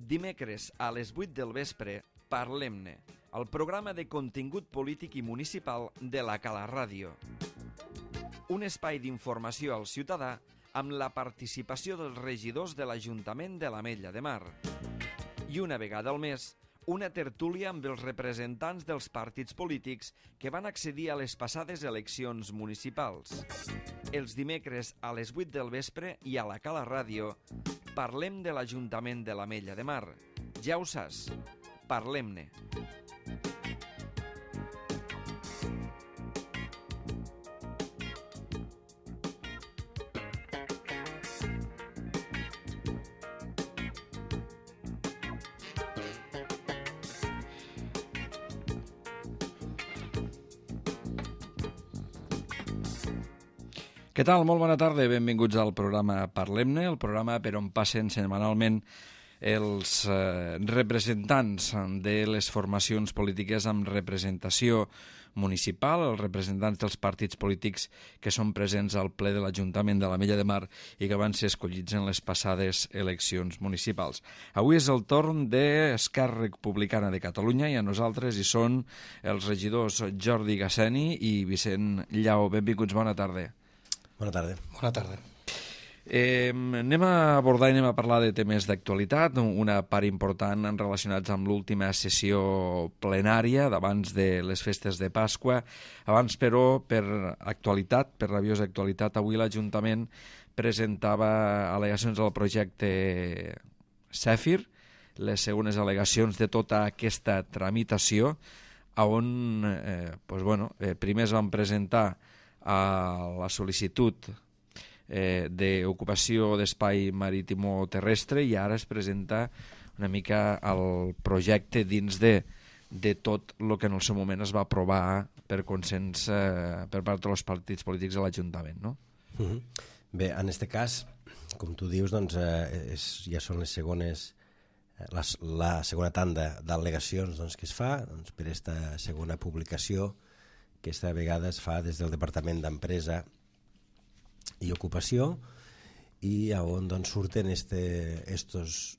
dimecres a les 8 del vespre, Parlem-ne, el programa de contingut polític i municipal de la Cala Ràdio. Un espai d'informació al ciutadà amb la participació dels regidors de l'Ajuntament de l'Ametlla de Mar. I una vegada al mes, una tertúlia amb els representants dels partits polítics que van accedir a les passades eleccions municipals. Els dimecres a les 8 del vespre i a la Cala Ràdio parlem de l'Ajuntament de l'Ametlla de Mar. Ja ho saps, parlem-ne. Què tal? Molt bona tarda, benvinguts al programa Parlem-ne, el programa per on passen setmanalment els representants de les formacions polítiques amb representació municipal, els representants dels partits polítics que són presents al ple de l'Ajuntament de l'Ametlla de Mar i que van ser escollits en les passades eleccions municipals. Avui és el torn d'Esquerra Republicana de Catalunya i a nosaltres hi són els regidors Jordi Gasseni i Vicent Llau. Benvinguts, bona tarda. Bona tarda. Bona tarda. Anem a abordar i anem a parlar de temes d'actualitat, una part important relacionats amb l'última sessió plenària d'abans de les festes de Pasqua. Abans, però, per actualitat, per rabiosa actualitat, avui l'Ajuntament presentava al·legacions al projecte Zèfir, les segones al·legacions de tota aquesta tramitació, on primer es van presentar a la sol·licitud d'ocupació d'espai marítim-terrestre i ara es presenta una mica el projecte dins de tot el que en el seu moment es va aprovar per consens per part dels partits polítics de l'Ajuntament, no? Bé, en aquest cas, com tu dius, doncs, ja són les segones la segona tanda d'al·legacions que es fa per aquesta segona publicació que aquesta vegada es fa des del Departament d'Empresa i Ocupació i on surten estos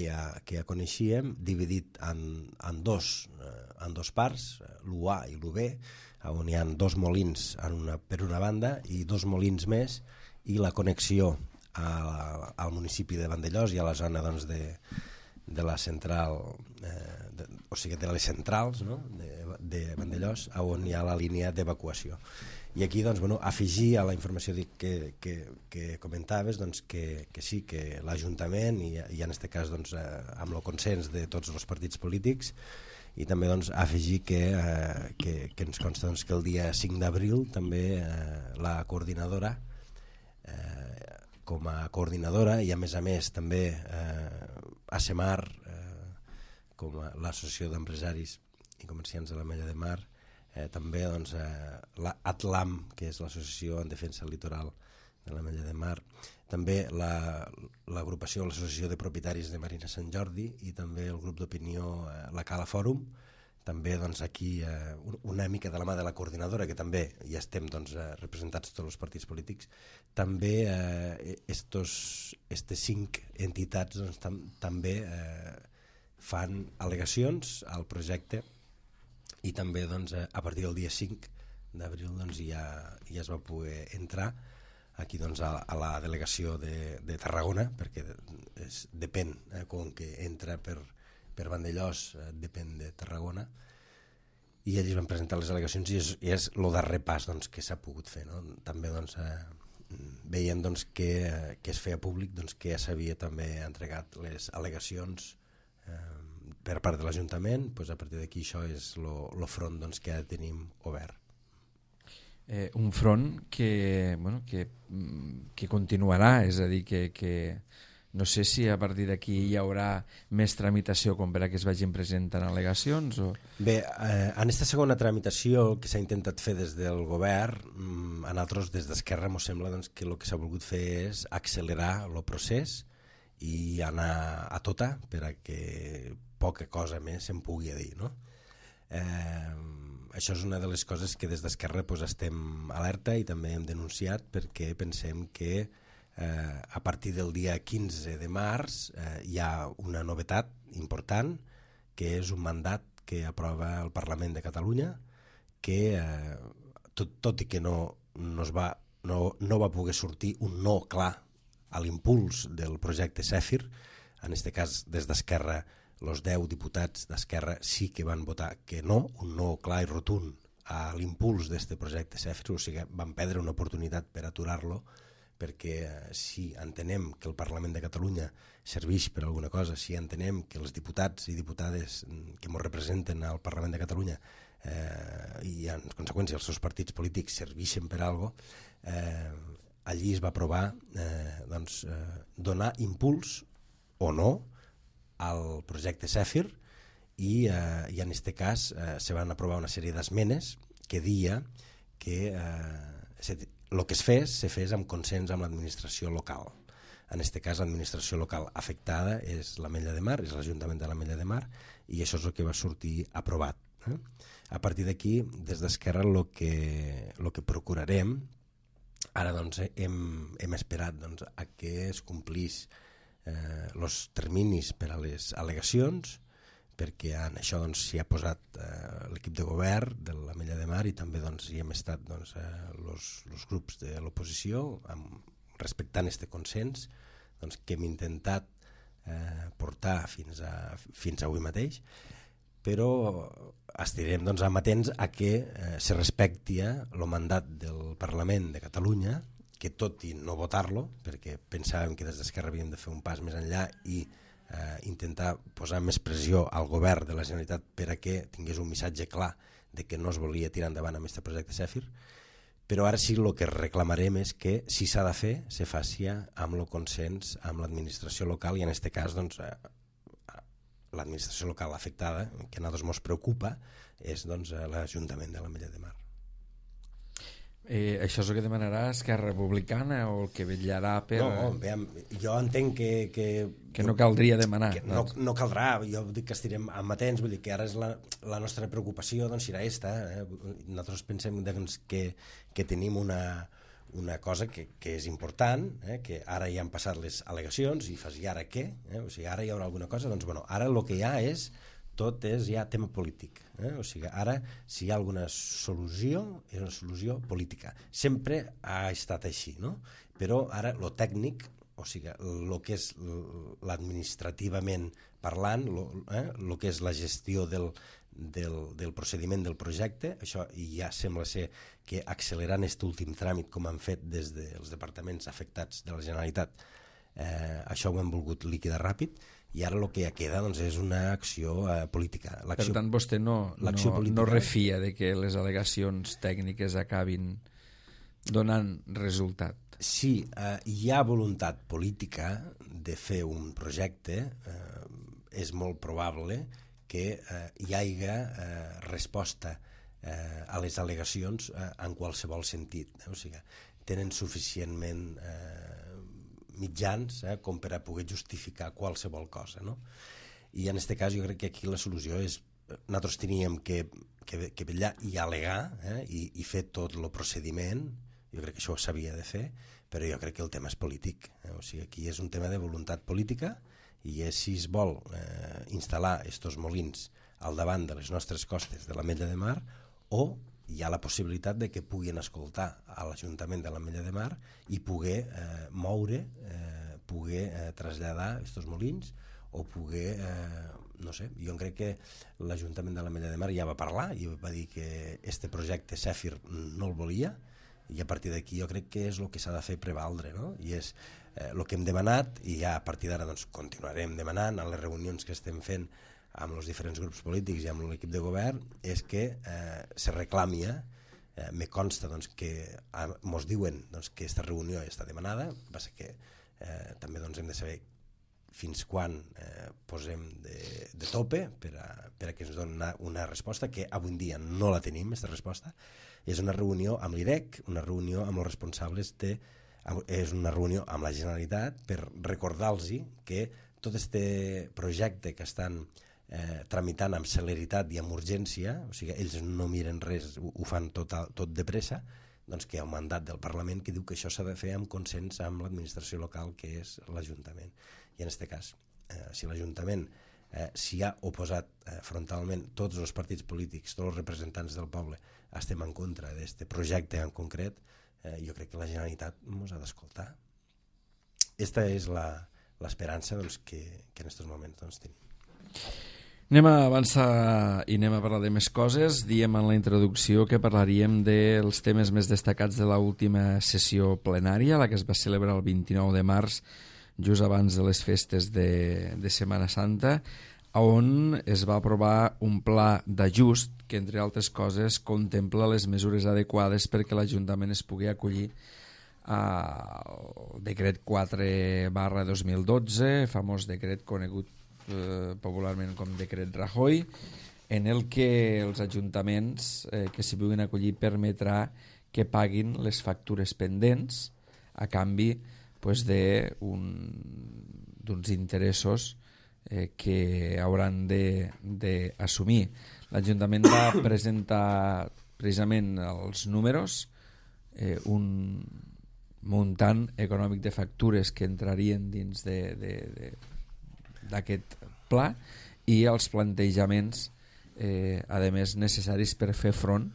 que ja coneixíem, dividit en dos parts, l'U-A i l'U-B, on hi ha dos molins per una banda i dos molins més i la connexió al municipi de Vandellòs i a la zona de la central, o sigui, de les centrals, no? de Vandellòs, on hi ha la línia d'evacuació. I aquí afegir a la informació que comentaves que sí, que l'Ajuntament i en aquest cas amb el consens de tots els partits polítics i també afegir que ens consta que el dia 5 d'abril també la coordinadora com a coordinadora i a més també ASEMAR com l'Associació d'Empresaris i Comerciants de l'Ametlla de Mar, també l'ATLAM, que és l'Associació en Defensa Litoral de l'Ametlla de Mar, també l'agrupació, l'Associació de Propietaris de Marina Sant Jordi i també el grup d'opinió la Cala Fòrum, també aquí una mica de la mà de la coordinadora, que també ja estem representats tots els partits polítics, també aquestes 5 entitats també fan al·legacions al projecte i també a partir del dia 5 d'abril ja es va poder entrar aquí a la delegació de Tarragona, perquè depèn, com que entra per Vandellòs, depèn de Tarragona, i ells van presentar les al·legacions i és el darrer pas que s'ha pogut fer, no? També veient que es feia públic que ja s'havia també entregat les al·legacions per part de l'Ajuntament. A partir d'aquí això és el front que ja tenim obert. Un front que continuarà, és a dir, que no sé si a partir d'aquí hi haurà més tramitació com per a que es vagin presentant al·legacions o... Bé, en aquesta segona tramitació que s'ha intentat fer des del govern, a nosaltres des d'Esquerra ens sembla que el que s'ha volgut fer és accelerar el procés i anar a tota per a que poca cosa més se'n pugui dir, no? Això és una de les coses que des d'Esquerra estem alerta i també hem denunciat perquè pensem que a partir del dia 15 de març hi ha una novetat important, que és un mandat que aprova el Parlament de Catalunya, que tot i que no va poder sortir un no clar a l'impuls del projecte Zèfir, en aquest cas des d'Esquerra, els 10 diputats d'Esquerra sí que van votar que no, un no clar i rotund a l'impuls d'aquest projecte Zèfir, o sigui, van perdre una oportunitat per aturar-lo, perquè si entenem que el Parlament de Catalunya serveix per alguna cosa, si entenem que els diputats i diputades que ens representen al Parlament de Catalunya i en conseqüència els seus partits polítics serveixen per alguna cosa, allí es va aprovar donar impuls o no al projecte Zèfir i en aquest cas se van aprovar una sèrie d'esmenes que deia que el que se fes amb consens amb l'administració local. En aquest cas l'administració local afectada és l'Ametlla de Mar, és l'Ajuntament de l'Ametlla de Mar, i això és el que va sortir aprovat. A partir d'aquí, des d'Esquerra, el que procurarem, ara hem esperat a que es complís els terminis per a les al·legacions, perquè en això s'hi ha posat l'equip de govern de l'Ametlla de Mar i també hi hem estat els grups de l'oposició respectant aquest consens que hem intentat portar fins a avui mateix, però estarem amatents a que se respecti el mandat del Parlament de Catalunya, que tot i no votar-lo, perquè pensàvem que des d'Esquerra havíem de fer un pas més enllà i intentar posar més pressió al govern de la Generalitat per a que tingués un missatge clar de que no es volia tirar endavant amb aquest projecte Zèfir, però ara sí el que reclamarem és que si s'ha de fer, se faci amb el consens amb l'administració local i en aquest cas l'administració local afectada, que a nosaltres ens preocupa, és l'Ajuntament de l'Ametlla de Mar. Això és el que demanarà Esquerra Republicana o el que vetllarà per... No, jo entenc que no caldria demanar. No caldrà, jo dic que estirem amatents, vull dir que ara és la nostra preocupació, serà aquesta. Nosaltres pensem que tenim una cosa que és important, que ara ja han passat les al·legacions i fas, i ara què? O sigui, ara hi haurà alguna cosa? Doncs ara el que hi ha tot és ja tema polític. O sigui, ara si hi ha alguna solució és una solució política. Sempre ha estat així, no? Però ara lo tècnic, o sigui, el que és l'administrativament parlant, el que és la gestió del procediment del projecte, això ja sembla ser que accelerant aquest últim tràmit com han fet des dels departaments afectats de la Generalitat, això ho hem volgut liquidar ràpid, i ara el que ja queda és una acció política. Per tant, vostè no refia de que les al·legacions tècniques acabin donant resultat? Sí, hi ha voluntat política de fer un projecte, és molt probable que hi hagi resposta a les al·legacions en qualsevol sentit. O sigui, tenen suficientment mitjans com per a poder justificar qualsevol cosa, no? I en aquest cas jo crec que aquí la solució és nosaltres teníem que vetllar i al·legar i fer tot el procediment, jo crec que això s'havia de fer, però jo crec que el tema és polític, o sigui, aquí és un tema de voluntat política i és si es vol instal·lar estos molins al davant de les nostres costes de l'Ametlla de Mar o hi ha la possibilitat de que puguin escoltar a l'Ajuntament de l'Ametlla de Mar i poder moure, poder traslladar aquests molins o poder, no sé, jo crec que l'Ajuntament de l'Ametlla de Mar ja va parlar i va dir que este projecte Zèfir no el volia i a partir d'aquí jo crec que és el que s'ha de fer prevaldre, no? I és el que hem demanat i ja a partir d'ara continuarem demanant en les reunions que estem fent amb els diferents grups polítics i amb l'equip de govern, és que se reclami, me consta que ens diuen que aquesta reunió està demanada, passa que també hem de saber fins quan posem de tope per a que ens donin una resposta, que avui dia no la tenim, aquesta resposta. És una reunió amb l'IREC, una reunió amb els responsables és una reunió amb la Generalitat per recordar-los que tot aquest projecte que estan tramitant amb celeritat i amb urgència, o sigui, ells no miren res, ho fan tot de pressa, doncs que hi ha un mandat del Parlament que diu que això s'ha de fer amb consens amb l'administració local, que és l'Ajuntament. I en aquest cas, si l'Ajuntament s'hi ha oposat frontalment, tots els partits polítics, tots els representants del poble estem en contra d'aquest projecte en concret, jo crec que la Generalitat ens ha d'escoltar. Aquesta és l'esperança que en aquests moments tenim. Anem a avançar i anem a parlar de més coses. Diem en la introducció que parlaríem dels temes més destacats de l'última sessió plenària, la que es va celebrar el 29 de març, just abans de les festes de Setmana Santa, on es va aprovar un pla d'ajust que, entre altres coses, contempla les mesures adequades perquè l'Ajuntament es pugui acollir al decret 4/2012, famós decret conegut popularment com decret Rajoy, en el que els ajuntaments que s'hi puguin acollir permetrà que paguin les factures pendents a canvi d'uns interessos que hauran d'assumir. L'Ajuntament va presentar precisament els números, un muntant econòmic de factures que entrarien dins d'aquest pla i els plantejaments a més necessaris per fer front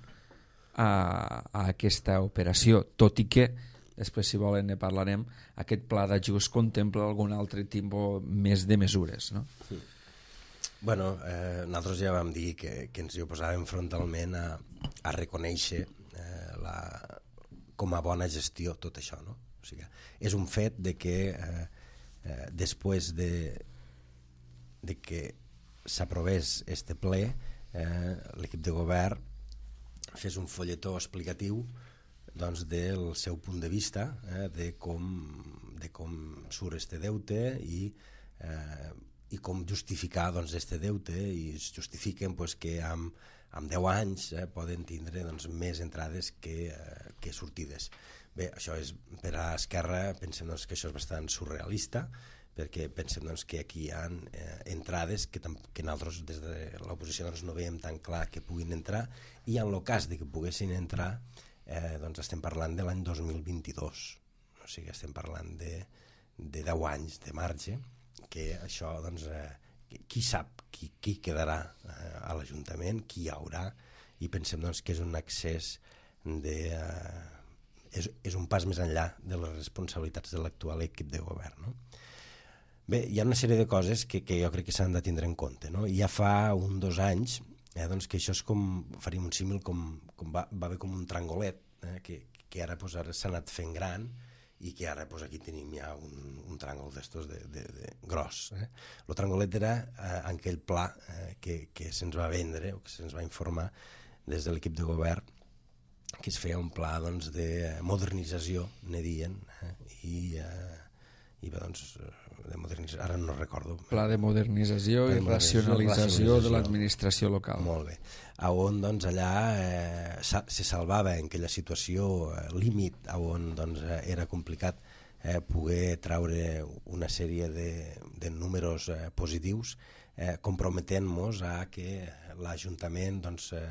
a aquesta operació, tot i que després, si volen, ne parlarem, aquest pla d'ajust contempla algun altre tipus més de mesures, no? Sí. Bueno, nosaltres ja vam dir que ens hi oposàvem frontalment a reconèixer com a bona gestió tot això, no? O sigui, és un fet de que després de que s'aprovés este ple, l'equip de govern fes un folletó explicatiu del seu punt de vista, de com surt este deute i com justificar este deute, i es justifiquen que amb 10 anys poden tindre més entrades que sortides. Bé, això és, per a Esquerra pensem que això és bastant surrealista, perquè pensem que aquí hi ha entrades que nosaltres des de l'oposició no veiem tan clar que puguin entrar, i en el cas de que poguessin entrar estem parlant de l'any 2022, o sigui, estem parlant de 10 anys de marge, que això qui sap qui quedarà a l'Ajuntament, qui hi haurà, i pensem que és un excés és un pas més enllà de les responsabilitats de l'actual equip de govern, no? Bé, hi ha una sèrie de coses que jo crec que s'han de tindre en compte, no? Ja fa 2 anys que això és com, faríem un símil, va haver com un trangolet, que ara s'ha anat fent gran, i que ara aquí tenim ja un tràngol d'estos gros. El trangolet era aquell pla que se'ns va vendre, o que se'ns va informar des de l'equip de govern, que es feia un pla de modernització, ne dient, i de modernització, ara no recordo. Pla de modernització i racionalització de l'administració local. Molt bé. On allà se salvava en aquella situació límit, on era complicat poder traure una sèrie de números positius, comprometent-nos a que l'Ajuntament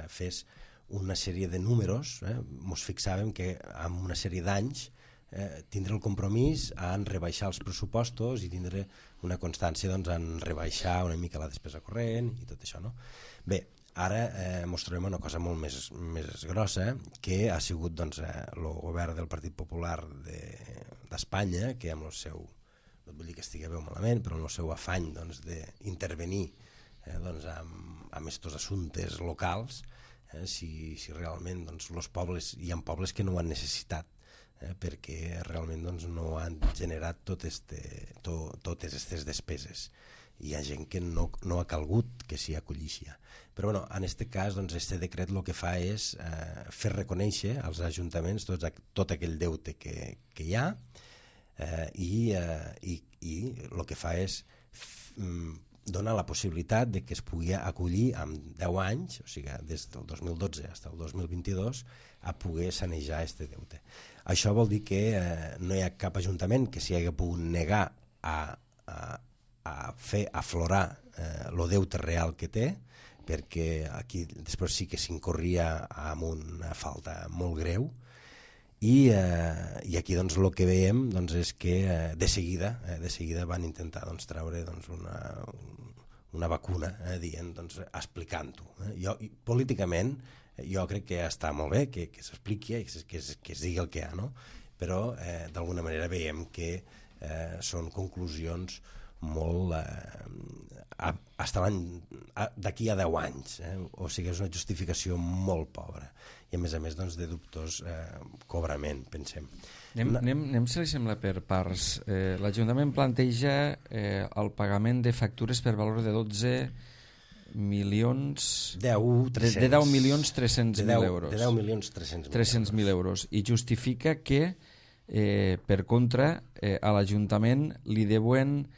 fes una sèrie de números. Ens fixàvem que en una sèrie d'anys tindre el compromís en rebaixar els pressupostos i tindre una constància en rebaixar una mica la despesa corrent i tot això, no? Bé, ara ens trobem una cosa molt més grossa, que ha sigut el govern del Partit Popular d'Espanya, que amb el seu, no vull dir que estigui bé o malament, però amb el seu afany d'intervenir amb aquests assumptes locals, si realment els pobles, hi ha pobles que no ho han necessitat, perquè realment no han generat totes aquestes despeses. Hi ha gent que no ha calgut que s'hi acollixi. Però en aquest cas, este decret el que fa és fer reconèixer als ajuntaments tot aquell deute que hi ha, i el que fa és donar la possibilitat de que es pugui acollir amb 10 anys, o sigui, des del 2012 fins al 2022, a poder sanejar aquest deute. Això vol dir que no hi ha cap ajuntament que s'hi hagi pogut negar a fer aflorar el deute real que té, perquè aquí després sí que s'incorria amb una falta molt greu, i aquí doncs, el que veiem doncs, és que de seguida van intentar doncs, treure doncs, una vacuna, dient, doncs, explicant-ho. Políticament jo crec que està molt bé que s'expliqui, que es digui el que hi ha, no? Però d'alguna manera veiem que són conclusions molt d'aquí a 10 anys, o sigui, és una justificació molt pobra i a més doncs, de dubtós cobrament, pensem. Anem, si li sembla, per parts. L'Ajuntament planteja el pagament de factures per valor de 12 milions... 10.300.000 euros. De 10.300.000 300.000 euros. I justifica que, per contra, a l'Ajuntament li deuen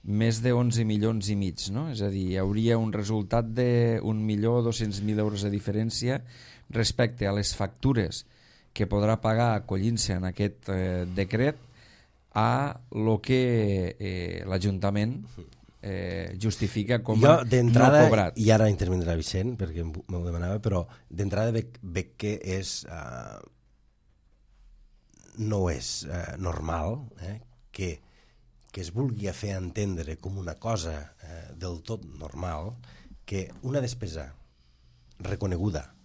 més de 11 milions i mig, no? És a dir, hi hauria un resultat de 1.200.000 euros de diferència respecte a les factures que podrà pagar acollint-se en aquest decret a lo que l'Ajuntament justifica com a no cobrat. I ara intervindrà Vicent, perquè m'ho demanava, però d'entrada veig que no és normal que es vulgui fer entendre com una cosa del tot normal que una despesa reconeguda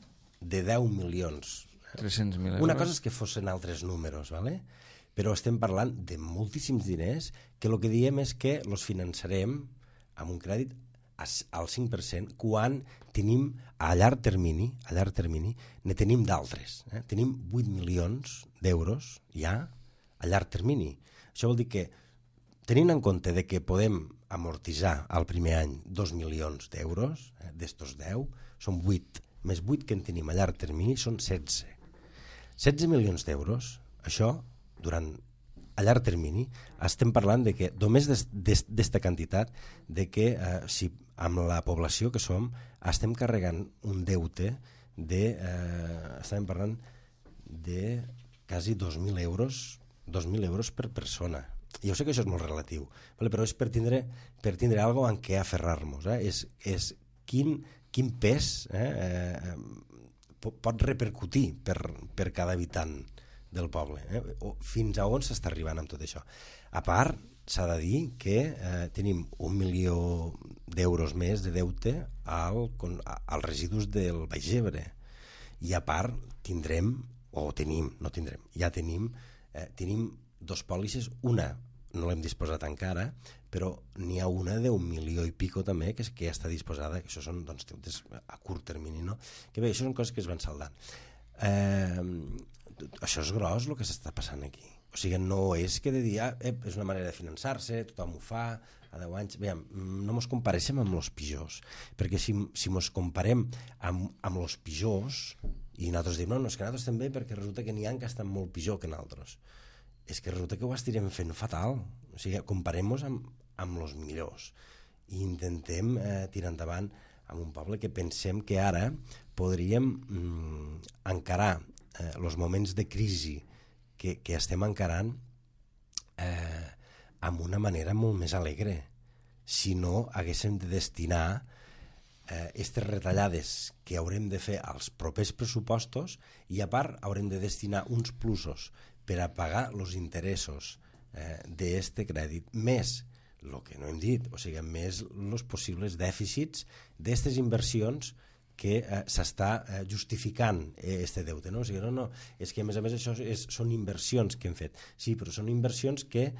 de 10 milions 300.000 euros. Una cosa és que fossin altres números, ¿vale? Però estem parlant de moltíssims diners que el que diem és que els finançarem amb un crèdit al 5% quan tenim a llarg termini ne tenim d'altres. Tenim 8 milions d'euros ja a llarg termini. Això vol dir que tenint en compte de que podem amortitzar al primer any 2 milions d'euros, d'estos 10, són 8, més 8 que en tenim a llarg termini són 16. 16 milions d'euros, això, a llarg termini, estem parlant de que només d'esta quantitat, de que si amb la població que som, estem carregant un deute estem parlant de quasi 2.000 euros per persona. Jo sé que això és molt relatiu, però és per tindre alguna cosa en què aferrar-nos. És quin pes pot repercutir per cada habitant del poble. Fins a on s'està arribant amb tot això. A part, s'ha de dir que tenim 1 milió d'euros més de deute als residus del Baix Ebre. I a part tenim dos pòlisses, una no l'hem disposat encara, però n'hi ha una d'1 milió i pico també que ja està disposada, que això són deutes a curt termini, no? Que bé, això són coses que es van saldant. Això és gros el que s'està passant aquí. O sigui, no és que de dir, és una manera de finançar-se, tothom ho fa, a 10 anys... Bé, no ens compareixem amb els pitjors, perquè si ens comparem amb els pitjors, i nosaltres diem, no, és que nosaltres també, perquè resulta que n'hi ha que estan molt pitjor que nosaltres. És que resulta que ho estirem fent fatal. O sigui, comparem-nos amb els millors i intentem tirar endavant amb un poble que pensem que ara podríem encarar els moments de crisi que estem encarant amb una manera molt més alegre. Si no, haguéssim de destinar aquestes retallades que haurem de fer als propers pressupostos i a part haurem de destinar uns plusos per a pagar els interessos d'aquest crèdit, més el que no hem dit, o sigui, més els possibles dèficits d'aquestes inversions que s'està justificant aquest deute, no? O sigui, no, és que a més això són inversions que hem fet. Sí, però són inversions que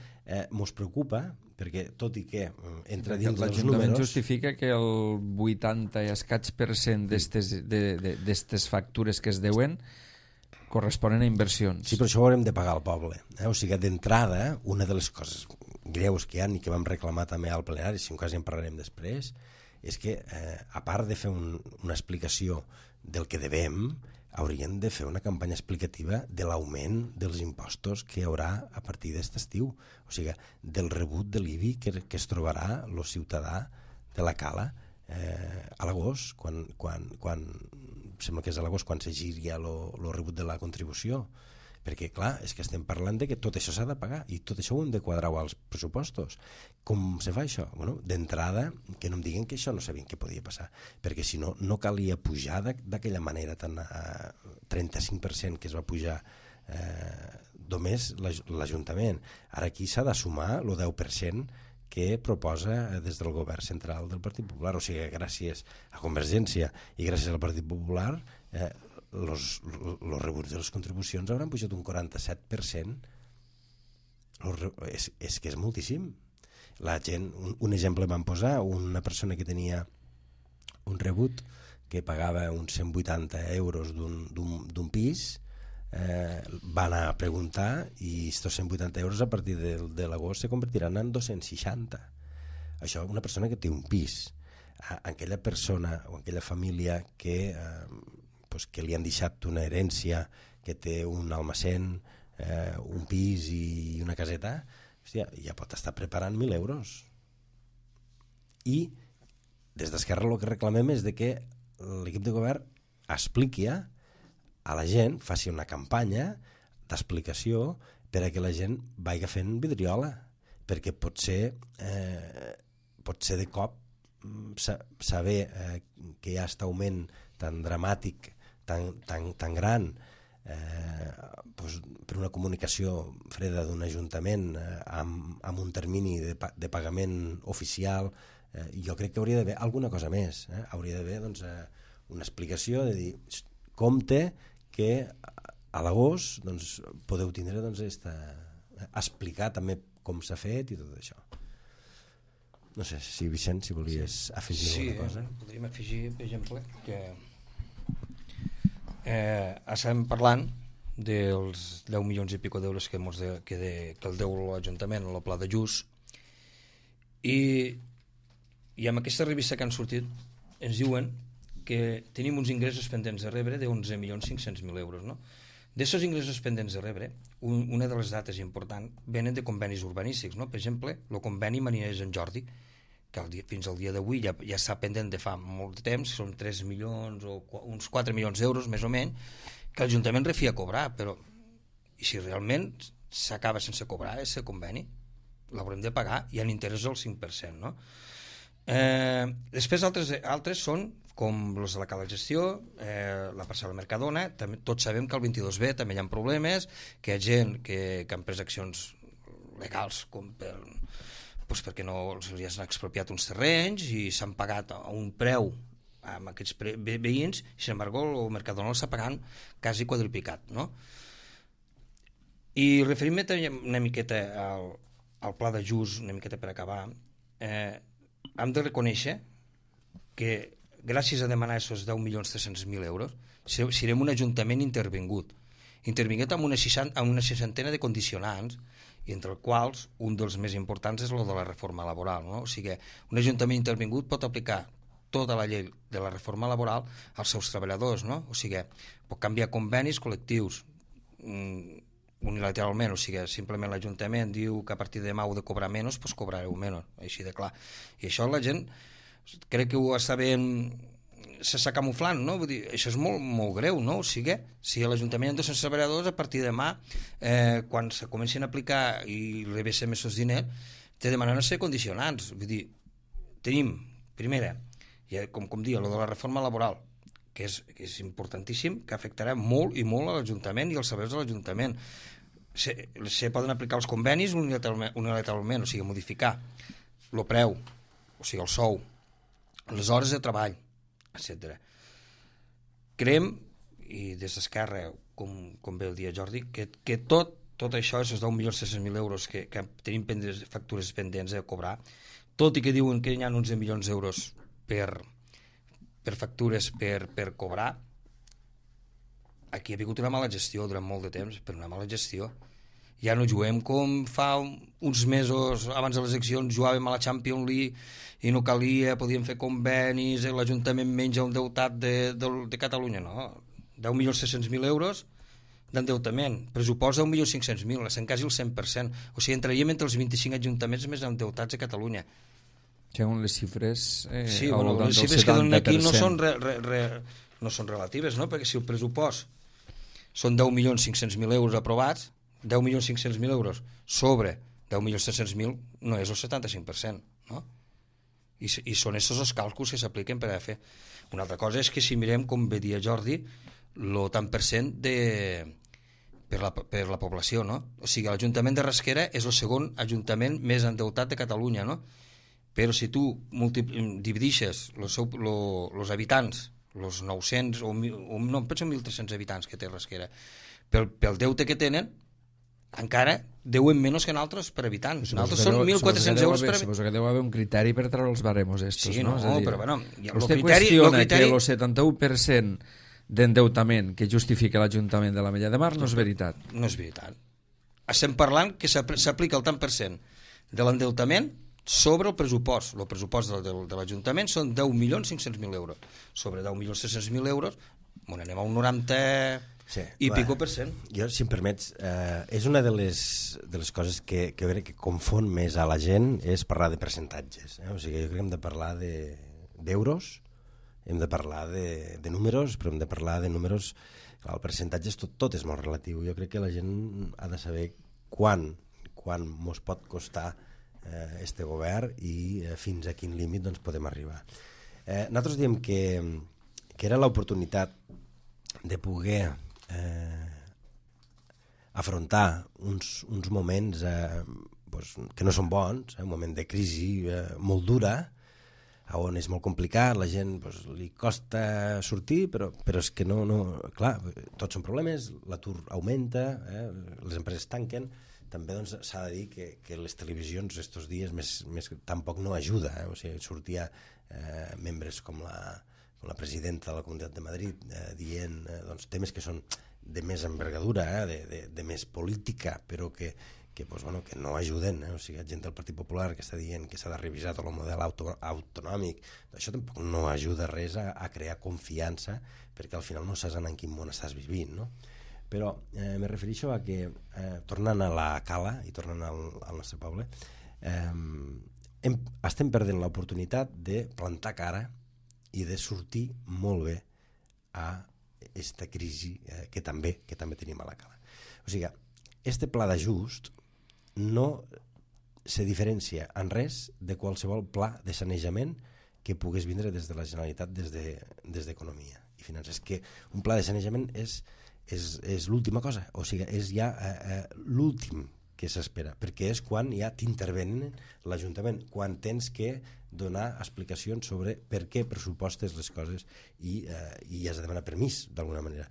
mos preocupa, perquè tot i que entra dins dels números... L'Ajuntament justifica que el 80 i escaig% d'aquestes factures que es deuen corresponen a inversions. Sí, però això ho haurem de pagar al poble. O sigui, d'entrada, una de les coses greus que hi ha i que vam reclamar també al plenari, si en cas ja en parlarem després, és que, a part de fer una explicació del que devem, haurien de fer una campanya explicativa de l'augment dels impostos que hi haurà a partir d'aquest estiu. O sigui, del rebut de l'IBI que es trobarà el ciutadà de la Cala a l'agost, quan sembla que és a l'agost quan s'agiri el rebut de la contribució. Perquè, clar, és que estem parlant de que tot això s'ha de pagar i tot això ho hem de quadrar als pressupostos. Com se fa això? Bueno, d'entrada, que no em diguin que això no sabien què podia passar, perquè si no, no calia pujar d'aquella manera tan 35% que es va pujar només l'Ajuntament. Ara aquí s'ha de sumar el 10% que proposa des del govern central del Partit Popular. O sigui, gràcies a Convergència i gràcies al Partit Popular els rebuts de les contribucions hauran pujat un 47%. És que és moltíssim. La gent, un exemple van posar, una persona que tenia un rebut que pagava uns 180 euros d'un pis, va anar a preguntar i estos 180 euros a partir de l'agost se convertiran en 260. Això, una persona que té un pis, aquella persona o aquella família que li han deixat una herència, que té un almacén, un pis i una caseta, hòstia, ja pot estar preparant 1.000 euros. I des d'Esquerra el que reclamem és de que l'equip de govern expliqui a la gent, faci una campanya d'explicació per a que la gent vagi fent vidriola, perquè potser de cop saber que hi ha aquest augment tan dramàtic, tan gran, per una comunicació freda d'un ajuntament amb un termini de pagament oficial, jo crec que hauria d'haver alguna cosa més, hauria d'haver una explicació de dir, compte que a l'agost podeu tindre explicar també com s'ha fet i tot això. No sé, si Vicent, si volies afegir alguna cosa. Sí, podríem afegir, per exemple, que estem parlant dels 10 milions i pico d'euros que el deu l'Ajuntament a la Pla de Lluç, i amb aquesta revista que han sortit ens diuen que tenim uns ingressos pendents de rebre de 11.500.000 euros, no? D'aquests ingressos pendents de rebre, una de les dates importants venen de convenis urbanístics, no? Per exemple, el conveni Mariners en Jordi, que fins al dia d'avui ja està pendent de fa molt de temps, són 3 milions o uns 4 milions d'euros més o menys, que l'Ajuntament refia a cobrar, però i si realment s'acaba sense cobrar aquest conveni, l'haurem de pagar i en interès del 5%, no? Després altres són com els de la Cala Gestió, la parcel·la Mercadona. Tots sabem que al 22B també hi ha problemes, que hi ha gent que han pres accions legals com perquè no se'ls han expropiat uns terrenys i s'han pagat a un preu amb aquests veïns, i sin embargo el Mercadona l'està pagant quasi quadruplicat, no? I referint-me una miqueta al Pla de Lluç, una miqueta per acabar, hem de reconèixer que gràcies a demanar aquests 10.300.000 euros serem un ajuntament intervingut amb una seixantena de condicionants, i entre els quals un dels més importants és el de la reforma laboral, no? O sigui, un ajuntament intervingut pot aplicar tota la llei de la reforma laboral als seus treballadors, no? O sigui, pot canviar convenis col·lectius unilateralment, o sigui, simplement l'Ajuntament diu que a partir de demà heu de cobrar menys, doncs cobrareu menys, així de clar. I això la gent crec que ho està ben... s'està camuflant, no? Vull dir, això és molt, molt greu, no? O sigui, si l'Ajuntament ha 200 treballadors, a partir de demà, quan se comencin a aplicar i rebessem aquests diners, te demanen ser condicionants. Vull dir, tenim, primera, com dia, el de la reforma laboral, que és importantíssim, que afectarà molt i molt a l'Ajuntament i als serveis de l'Ajuntament. Se poden aplicar els convenis unilateralment, o sigui, modificar el preu, o sigui, el sou, les hores de treball, etc. Creiem, i des d'Esquerra, com bé el dia Jordi, que tot això, aquests 10.300.000 euros que tenim factures pendents de cobrar, tot i que diuen que hi ha 11 milions d'euros per factures per cobrar, aquí ha hagut una mala gestió durant molt de temps, per una mala gestió. Ja no juguem com fa uns mesos abans de les eleccions, jugàvem a la Champions League i no calia, podíem fer convenis, l'Ajuntament menja un deutat de Catalunya, no. 10.600.000 euros d'endeutament, pressupost 10.500.000, estem quasi el 100%, o sigui, entraríem entre els 25 ajuntaments més endeutats de Catalunya. Segons les xifres... Sí, bueno, les xifres que donen aquí no són relatives, no? Perquè si el pressupost són 10.500.000 euros aprovats, 10.500.000 euros sobre 10.300.000 no és el 75%, no? I són aquests els càlculs que s'apliquen per a fer. Una altra cosa és que si mirem, com bé dia Jordi, el tant per cent per la població, no? O sigui, l'Ajuntament de Rasquera és el segon ajuntament més endeutat de Catalunya, no? Però si tu dividixes els habitants, els 900, no, em penso 1.300 habitants que té Rasquera, pel deute que tenen, encara deuen menys que nosaltres per habitant. Nosaltres són 1.400 euros per habitant. Suposo que deu haver un criteri per treure els baremos estos, sí, no? Sí, però bueno... Vostè qüestiona que el 71% d'endeutament que justifica l'Ajuntament de l'Ametlla de Mar no és veritat. No és veritat. Estem parlant que s'aplica el tant per cent de l'endeutament sobre el pressupost. El pressupost de l'Ajuntament són 10.500.000 euros. Sobre 10.300.000 euros, anem a un 90... Sí, i pico per cent. Jo, si em permets, és una de les coses que crec que confon més a la gent és parlar de percentatges. O sigui, jo crec que hem de parlar d'euros, hem de parlar de números, però hem de parlar de números... Clar, el percentatge tot és molt relatiu. Jo crec que la gent ha de saber quan mos pot costar este govern i fins a quin límit doncs, podem arribar. Nosaltres diem que era l'oportunitat de poder afrontar uns moments que no són bons, un moment de crisi molt dura, on és molt complicat, la gent li costa sortir, però és que no, clar, tots són problemes, l'atur augmenta, les empreses tanquen, també doncs, s'ha de dir que les televisions estos dies més tampoc no ajuda, o sigui, sortia membres com la presidenta de la Comunitat de Madrid dient doncs, temes que són de més envergadura, de més política, però que no ajuden. O sigui, gent del Partit Popular que està dient que s'ha de revisar tot el model autonòmic, això tampoc no ajuda res a crear confiança, perquè al final no saps en quin món estàs vivint, no? Però me refereixo a que, tornant a la Cala i tornant al nostre poble, estem perdent l'oportunitat de plantar cara i de sortir molt bé a aquesta crisi que també tenim a la Cala. O sigui, este pla d'ajust no se diferencia en res de qualsevol pla de sanejament que pogués vindre des de la Generalitat, des d'Economia i Finances. Que un pla de sanejament és l'última cosa, o sigui, és ja l'últim que s'espera, perquè és quan ja t'intervenen l'Ajuntament, quan tens que donar explicacions sobre per què pressupostes les coses i has de demanar permís, d'alguna manera.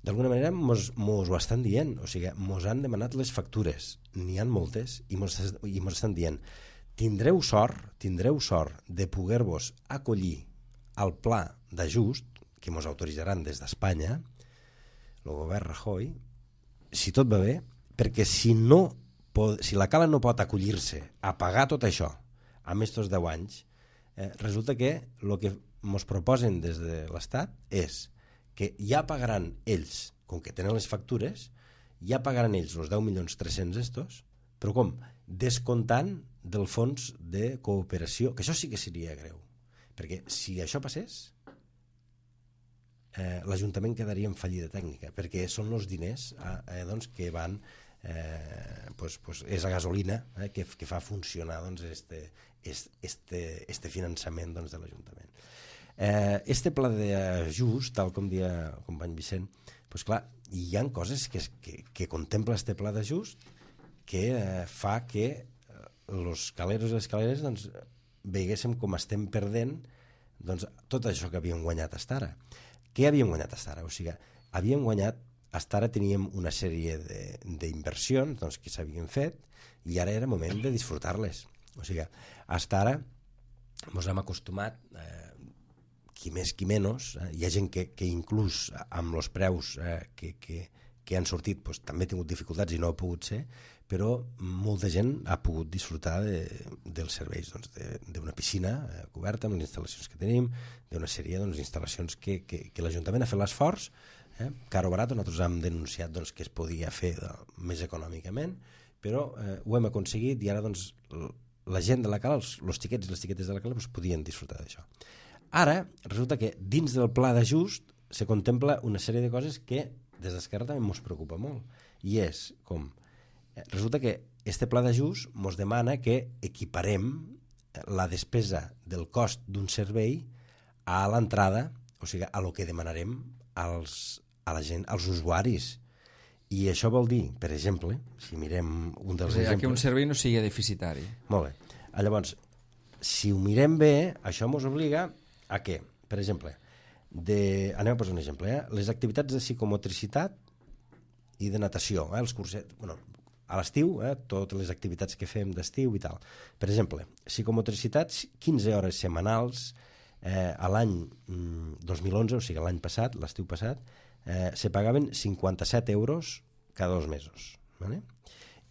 D'alguna manera mos ho estan dient, o sigui, mos han demanat les factures, n'hi ha moltes, i mos estan dient tindreu sort de poder-vos acollir al pla d'ajust que mos autoritzaran des d'Espanya, el govern Rajoy, si tot va bé, perquè si la Cala no pot acollir-se a pagar tot això a estos 10 anys, resulta que el que ens proposen des de l'Estat és que ja pagaran ells, com que tenen les factures, ja pagaran ells els 10.300.000 estos, però com? Descomptant del fons de cooperació, que això sí que seria greu, perquè si això passés, l'Ajuntament quedaria en fallida tècnica, perquè són els diners doncs, que van és la gasolina que fa funcionar doncs, este finançament doncs, de l'Ajuntament. Este pla d'ajust, tal com deia el company Vicent, doncs clar, hi ha coses que contempla este pla d'ajust que fa que els caleros i les caleres doncs, veiguéssim com estem perdent doncs, tot això que havíem guanyat fins ara. Què havíem guanyat fins ara? O sigui, havíem guanyat, fins ara teníem una sèrie d'inversions doncs, que s'havien fet i ara era moment de disfrutar-les. O sigui, fins ara ens hem acostumat, qui més qui menys, hi ha gent que inclús amb els preus que han sortit doncs, també ha tingut dificultats i no ha pogut ser, però molta gent ha pogut disfrutar dels serveis doncs, d'una piscina coberta amb les instal·lacions que tenim, d'una sèrie d'instal·lacions que l'Ajuntament ha fet l'esforç, car o barat, nosaltres hem denunciat doncs, que es podia fer més econòmicament, però ho hem aconseguit i ara doncs, la gent de la Cala, els xiquets i les xiquetes de la Cala doncs, podien disfrutar d'això. Ara resulta que dins del pla d'ajust se contempla una sèrie de coses que des d'Esquerra també ens preocupa molt, i és com resulta que este pla d'ajust ens demana que equiparem la despesa del cost d'un servei a l'entrada, o sigui, a lo que demanarem a la gent, als usuaris. I això vol dir, per exemple, si mirem un dels exemples... que un servei no sigui deficitari. Molt bé. Llavors, si ho mirem bé, això ens obliga a què? Per exemple, anem a posar un exemple, les activitats de psicomotricitat i de natació, els cursets... Bueno, a l'estiu, totes les activitats que fem d'estiu i tal. Per exemple, psicomotricitats, 15 hores setmanals, a l'any 2011, o sigui, l'any passat, l'estiu passat, se pagaven 57 euros cada 2 mesos. ¿Vale?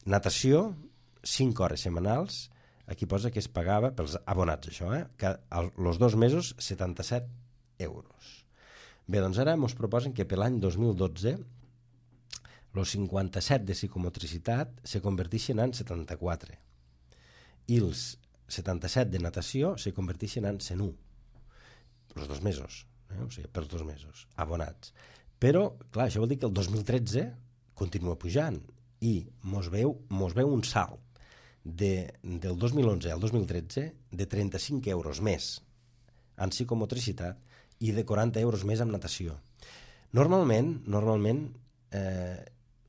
Natació, 5 hores setmanals, aquí posa que es pagava pels abonats, això, els 2 mesos, 77 euros. Bé, doncs ara ens proposen que per l'any 2012 els 57 de psicomotricitat se converteixen en 74 i els 77 de natació se converteixen en 101 els 2 mesos, o sigui, pels 2 mesos, abonats. Però, clar, això vol dir que el 2013 continua pujant i mos veu un salt del 2011 al 2013 de 35 euros més en psicomotricitat i de 40 euros més en natació. Normalment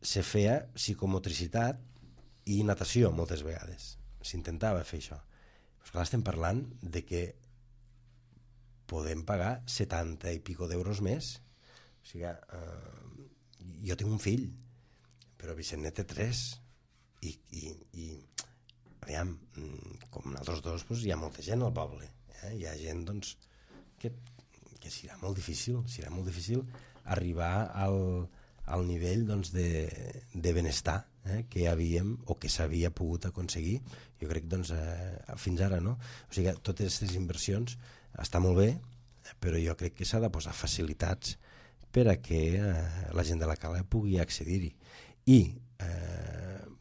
se feia psicomotricitat i natació moltes vegades. S'intentava fer això. Però clar, estem parlant de que podem pagar 70 i pico d'euros més. O sigui, jo tinc un fill, però Vicent ne té 3 i aviam, com nosaltres dos, doncs, hi ha molta gent al poble. Hi ha gent doncs, que serà molt difícil arribar al nivell doncs, de benestar que havíem o que s'havia pogut aconseguir, jo crec doncs, fins ara, no? O sigui, totes aquestes inversions està molt bé, però jo crec que s'ha de posar facilitats per a que la gent de la cala pugui accedir-hi. I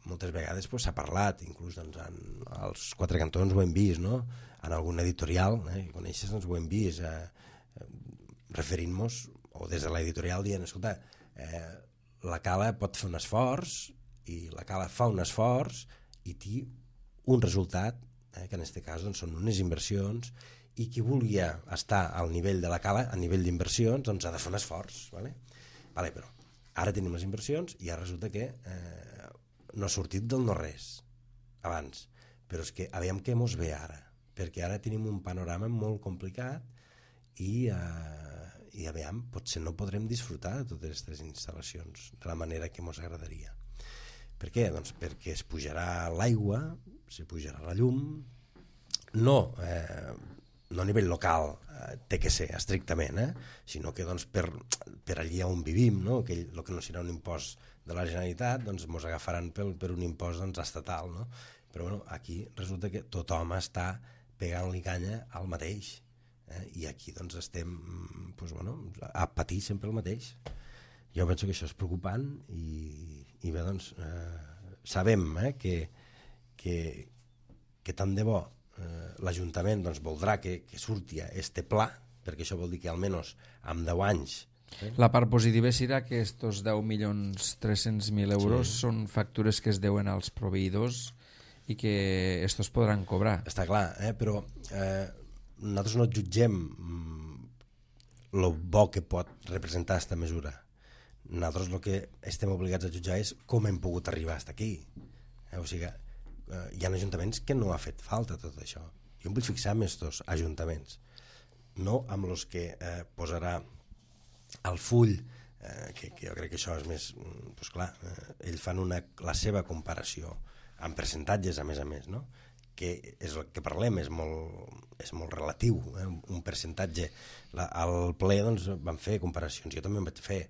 moltes vegades s'ha parlat, inclús doncs, als Quatre Cantons ho hem vist, no? En algun editorial, que coneixes, doncs, ho hem vist, referint-nos, o des de l'editorial dient, escolta, la cala pot fer un esforç, i la cala fa un esforç, i té un resultat, que en aquest cas doncs, són unes inversions, i qui volia estar al nivell de la cala, a nivell d'inversions, doncs ha de fer un esforç. Vale, però ara tenim les inversions i ara resulta que no ha sortit del no-res abans, però és que aviam què mos ve ara, perquè ara tenim un panorama molt complicat i aviam, potser no podrem disfrutar de totes aquestes instal·lacions de la manera que mos agradaria. Per què? Doncs perquè es pujarà l'aigua, se pujarà la llum, no a nivell local, té que ser estrictament, sinó que doncs, per allí on vivim, no? Que el que no serà un impost de la Generalitat, doncs ens agafaran per un impost doncs, estatal, no? Però bueno, aquí resulta que tothom està pegant-li canya al mateix, i aquí doncs, estem doncs, bueno, a patir sempre el mateix. Jo penso que això és preocupant i bé, doncs, sabem que tant de bo l'Ajuntament doncs, voldrà que surti este pla, perquè això vol dir que almenys en 10 anys... La part positiva serà que estos 10.300.000 euros són factures que es deuen als proveïdors i que estos podran cobrar. Està clar, però nosaltres no jutgem el bo que pot representar aquesta mesura. Nosaltres el que estem obligats a jutjar és com hem pogut arribar fins aquí. O sigui, hi ha ajuntaments que no ha fet falta tot això. Jo em vull fixar en aquests ajuntaments, no amb els que posarà al full, que jo crec que això és més... Doncs clar, ells fan la seva comparació amb percentatges, a més, no? Que és el que parlem, és molt relatiu, un percentatge. Al ple doncs, van fer comparacions, jo també en vaig fer.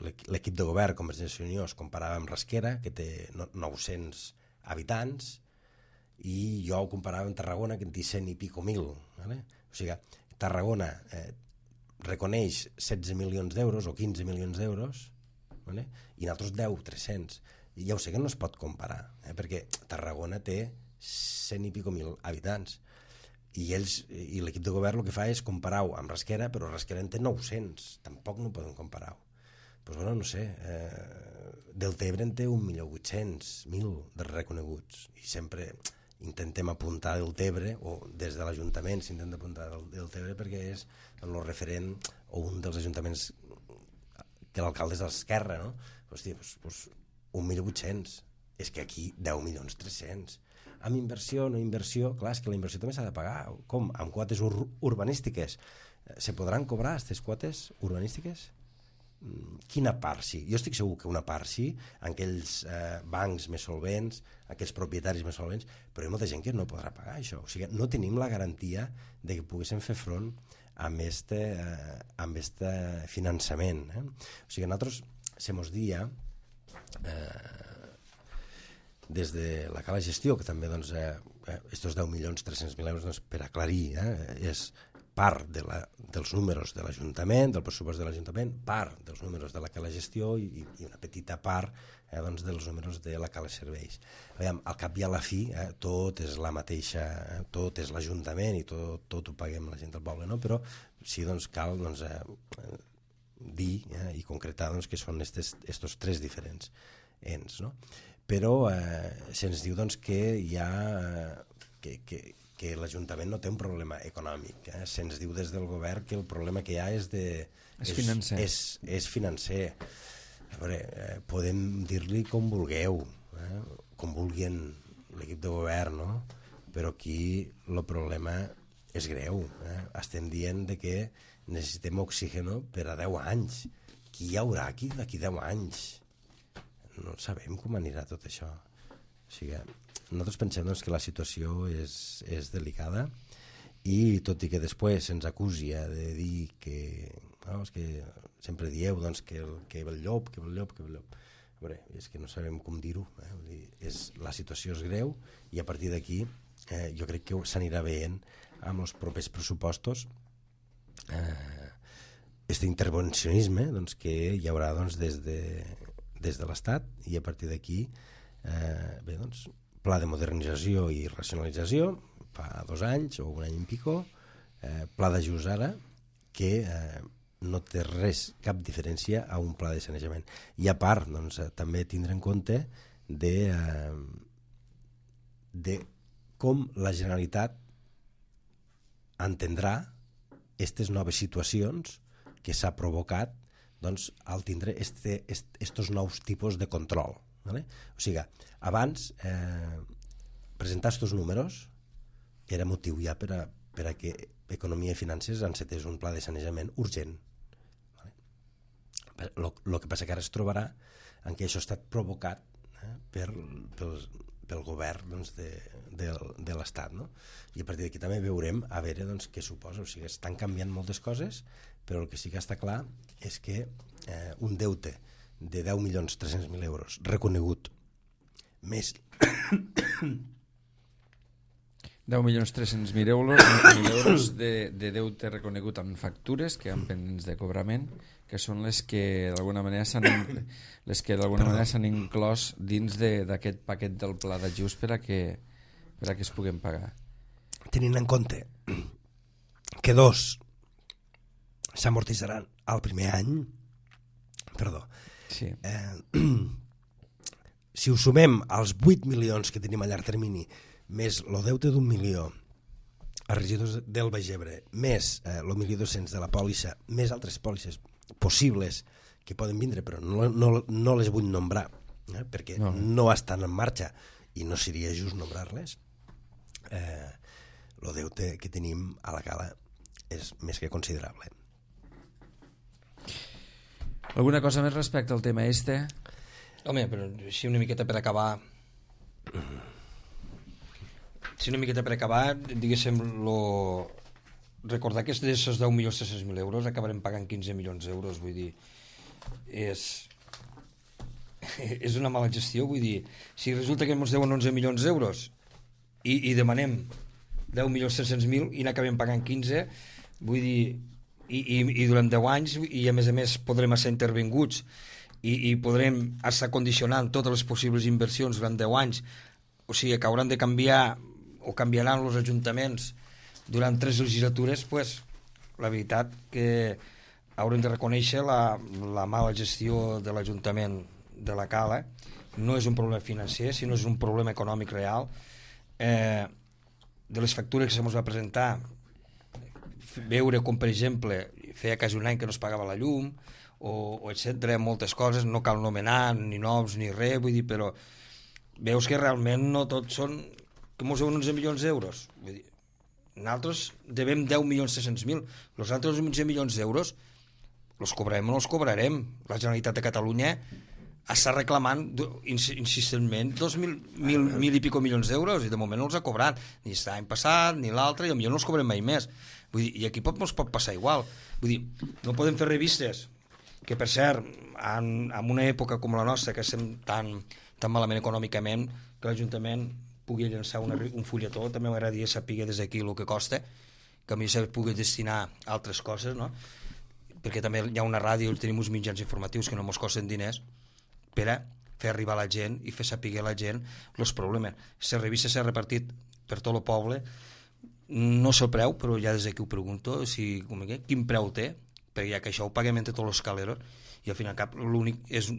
L'equip de govern Convergència i Unió es comparava amb Rasquera, que té 900 habitants, i jo ho comparava amb Tarragona, que en té 100 i pico mil. Vale? O sigui, Tarragona reconeix 16 milions d'euros o 15 milions d'euros, vale? I nosaltres 300. I ja ho sé que no es pot comparar, perquè Tarragona té 100 i pico mil habitants, i l'equip de govern el que fa és comparar-ho amb Rasquera, però Rasquera en té 900, tampoc no poden comparar-ho. Doncs bueno, no sé, Deltebre en té 1.800.000 de reconeguts, i sempre intentem apuntar Deltebre, o des de l'Ajuntament s'intenta apuntar Deltebre perquè és el referent o un dels ajuntaments que l'alcalde és de l'esquerra, no? Hòstia, doncs 1.800.000. És que aquí 10.300.000. Amb inversió, no inversió, clar, és que la inversió també s'ha de pagar. Com? Amb quotes urbanístiques. Se podran cobrar aquestes quotes urbanístiques? Quina part sí? Jo estic segur que una part sí, en aquells bancs més solvents, aquells propietaris més solvents, però hi ha molta gent que no podrà pagar això. O sigui, no tenim la garantia de que poguéssim fer front amb este finançament. O sigui, nosaltres se mos dia des de la cala gestió, que també doncs, estos 10.300.000 euros, doncs, per aclarir, és part dels números de l'Ajuntament, del pressupost de l'Ajuntament, part dels números de la cala gestió i una petita part doncs, dels números de la cala serveis. Aviam, al cap i a la fi, tot és la mateixa, tot és l'Ajuntament i tot ho paguem la gent del poble, no? Però sí, doncs, cal doncs, dir i concretar doncs, que són estos tres diferents ens, no? Però se'ns diu doncs, que hi ha que l'Ajuntament no té un problema econòmic. Se'ns diu des del govern que el problema que hi ha és financer. És financer. A veure, podem dir-li com vulgueu, com vulguin l'equip de govern, no? Però aquí el problema és greu. Estem dient que necessitem oxígeno per a 10 anys. Qui hi haurà aquí d'aquí 10 anys? No sabem com anirà tot això. O sigui, nosaltres pensem doncs, que la situació és delicada i tot i que després se'ns acusi de dir que, no, és que sempre dieu doncs, que el llop. A veure, és que no sabem com dir-ho. La situació és greu i a partir d'aquí jo crec que s'anirà veient amb els propers pressupostos este intervencionisme doncs, que hi haurà doncs, des de l'Estat i a partir d'aquí doncs, pla de modernització i racionalització fa 2 anys o 1 any i pico, pla d'ajust ara que no té cap diferència a un pla de sanejament i a part doncs, també tindre en compte de com la Generalitat entendrà aquestes noves situacions que s'ha provocat doncs, al tindre estos nous tipus de control. ¿Vale? O sigui, abans presentar estos números era motiu ja per a que Economia i Finances encetés un pla de sanejament urgent. ¿Vale? Lo que passa que ara es trobarà en què això ha estat provocat pel govern doncs, de l'Estat, no? I a partir d'aquí també veurem a veure doncs, què suposa. O sigui, estan canviant moltes coses, però el que sí que està clar és que un deute de 10.300.000 euros reconegut més 10.300.000 euros de deute reconegut amb factures que han pendents de cobrament, que són les que d'alguna manera s'han inclòs dins d'aquest paquet del pla d'ajust per a que es puguen pagar. Tenint en compte que 2 s'amortitzaran al primer any, sí. Si ho sumem als 8 milions que tenim a llarg termini més el deute d'1 milió als regidors del Baix Ebre, més el 1.200.000 de la pòlissa, més altres pòlisses possibles que poden vindre, però no les vull nombrar, perquè no estan en marxa i no seria just nombrar-les. El deute que tenim a la cala és més que considerable. Alguna cosa més respecte al tema este? Home, però així una miqueta per acabar... diguéssim, recordar que d'aquests 10.300.000 euros acabarem pagant 15 milions d'euros, vull dir, és una mala gestió, vull dir, si resulta que ens deuen 11 milions d'euros i demanem 10.300.000 i n'acabem pagant 15, vull dir, i durant 10 anys, i a més podrem estar intervinguts i podrem estar condicionant totes les possibles inversions durant 10 anys, o sigui, que hauran de canviar o canviaran els ajuntaments durant 3 legislatures, pues, la veritat que haurem de reconèixer la mala gestió de l'Ajuntament de la Cala. No és un problema financer, sinó és un problema econòmic real. De les factures que se ens va presentar, veure com, per exemple, feia quasi un any que no es pagava la llum, o etcètera, moltes coses, no cal nomenar ni noms ni res, vull dir, però veus que realment no tots són com us 11 milions d'euros. Vull dir, nosaltres devem 10.600.000, els altres 11 milions d'euros els cobrarem o no els cobrarem. La Generalitat de Catalunya està reclamant insistentment 1.000 i pico milions d'euros i de moment no els ha cobrat, ni l'any passat ni l'altre, i potser no els cobrem mai més. Vull dir, i aquí ens pot passar igual. Vull dir, no podem fer revistes que, per cert, en una època com la nostra, que estem tan malament econòmicament, que l'Ajuntament pugui llançar un fulletó, també m'agradaria saber des d'aquí el que costa, que a mi se pugui destinar a altres coses, no? Perquè també hi ha una ràdio, tenim uns mitjans informatius que no ens costen diners per a fer arribar a la gent i fer saber a la gent els problemes. La revista s'ha repartit per tot el poble, no sé el preu, però ja des d'aquí ho pregunto, quin preu té, perquè ja que això ho paguem entre tots els caleros i al final l'únic és,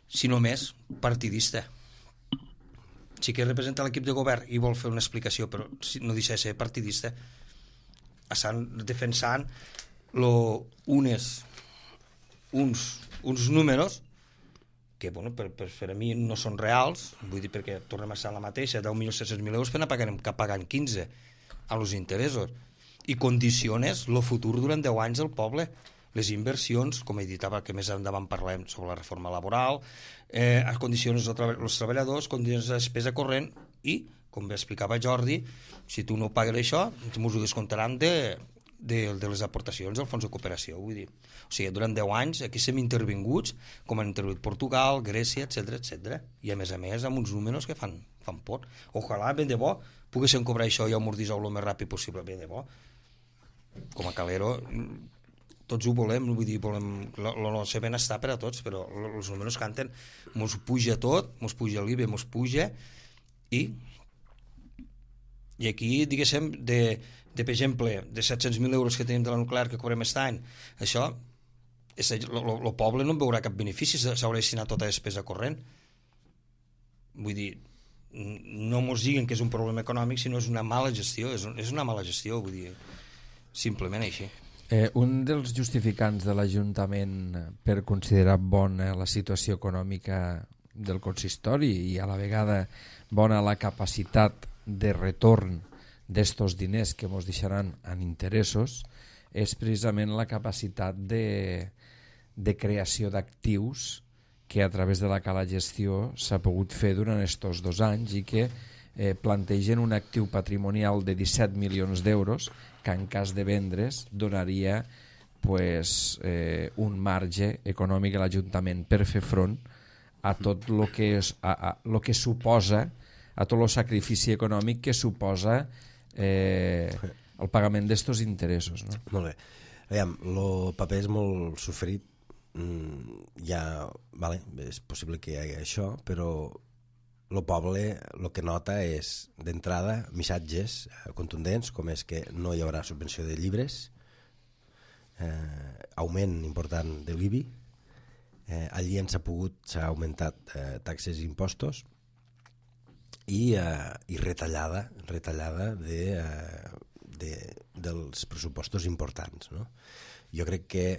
si no més, partidista. Sí que representa l'equip de govern i vol fer una explicació, però no deixa de ser partidista. Estan defensant uns números que, bueno, per a mi no són reals, vull dir, perquè tornem a estar la mateixa, 10.700.000 euros per anar pagant 15 a los interessos, i condiciones el futur durant 10 anys del poble. Les inversions, com he dit, que més endavant parlem sobre la reforma laboral, condiciones els treballadors, condiciones de despesa corrent i, com bé explicava Jordi, si tu no pagues això, ens ho descomptaran de les aportacions al fons de cooperació. Vull dir, o sigui, durant 10 anys aquí som intervinguts, com han intervingut Portugal, Grècia, etc. I a més amb uns números que fan por. Ojalà, ben de bo, poguéssim cobrar això i amortitzar el més ràpid possible, ben de bo. Com a calero tots ho volem, vull dir, volem el nostre benestar per a tots, però els números canten, mos puja tot, mos puja l'IBE, mos puja, i aquí, diguéssim, per exemple, de 700.000 euros que tenim de la nuclear que cobrem aquest any, això, el poble no en veurà cap benefici, s'haurà destinat tota despesa corrent. Vull dir, no mos diguen que és un problema econòmic, sinó és una mala gestió, és una mala gestió, vull dir, simplement així. Un dels justificants de l'Ajuntament per considerar bona la situació econòmica del consistori i a la vegada bona la capacitat de retorn d'estos diners que ens deixaran en interessos és precisament la capacitat de creació d'actius que a través de la cala gestió s'ha pogut fer durant estos 2 anys i que plantegen un actiu patrimonial de 17 milions d'euros que en cas de vendre's donaria un marge econòmic a l'Ajuntament per fer front a tot el que suposa, a tot el sacrifici econòmic que suposa el pagament d'estos interessos, no? Molt bé. Aviam, el paper és molt sofrit, és possible que hi hagi això, però el poble el que nota és, d'entrada, missatges contundents, com és que no hi haurà subvenció de llibres, augment important de l'IBI, allí s'ha augmentat taxes i impostos, i retallada dels pressupostos importants, no? Jo crec que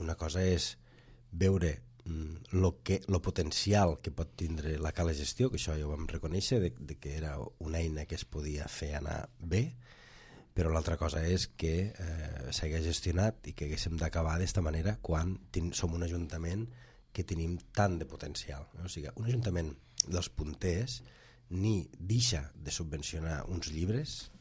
una cosa és veure el potencial que pot tindre la cala gestió, que això ja ho vam reconèixer, de que era una eina que es podia fer anar bé, però l'altra cosa és que s'hagués gestionat i que haguéssim d'acabar d'esta manera quan som un ajuntament que tenim tant de potencial, no? O sigui, un ajuntament dels punters ni deixa de subvencionar uns llibres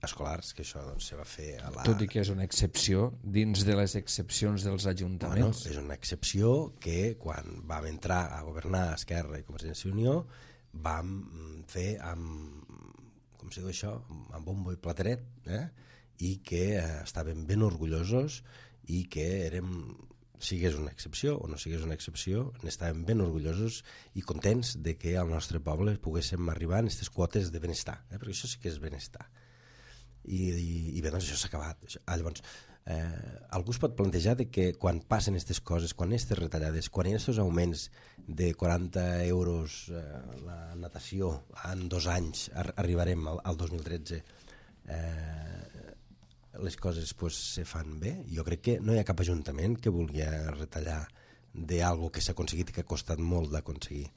escolars, que això doncs, se va fer a la... Tot i que és una excepció dins de les excepcions dels ajuntaments. Bueno, és una excepció que quan vam entrar a governar Esquerra i Convergència i Unió vam fer com se diu això, amb bombo i plateret, i que estàvem ben orgullosos i que sigués una excepció o no sigués una excepció, n'estàvem ben orgullosos i contents de que al nostre poble poguéssim arribar a aquestes quotes de benestar, perquè això sí que és benestar. I bé, doncs això s'ha acabat. Llavors, algú es pot plantejar de que quan passen aquestes coses, quan aquestes retallades, quan hi ha aquests augments de 40 euros la natació en 2 anys, arribarem al 2013, les coses pues, se fan bé. Jo crec que no hi ha cap ajuntament que vulgui retallar d'algo que s'ha aconseguit i que ha costat molt d'aconseguir.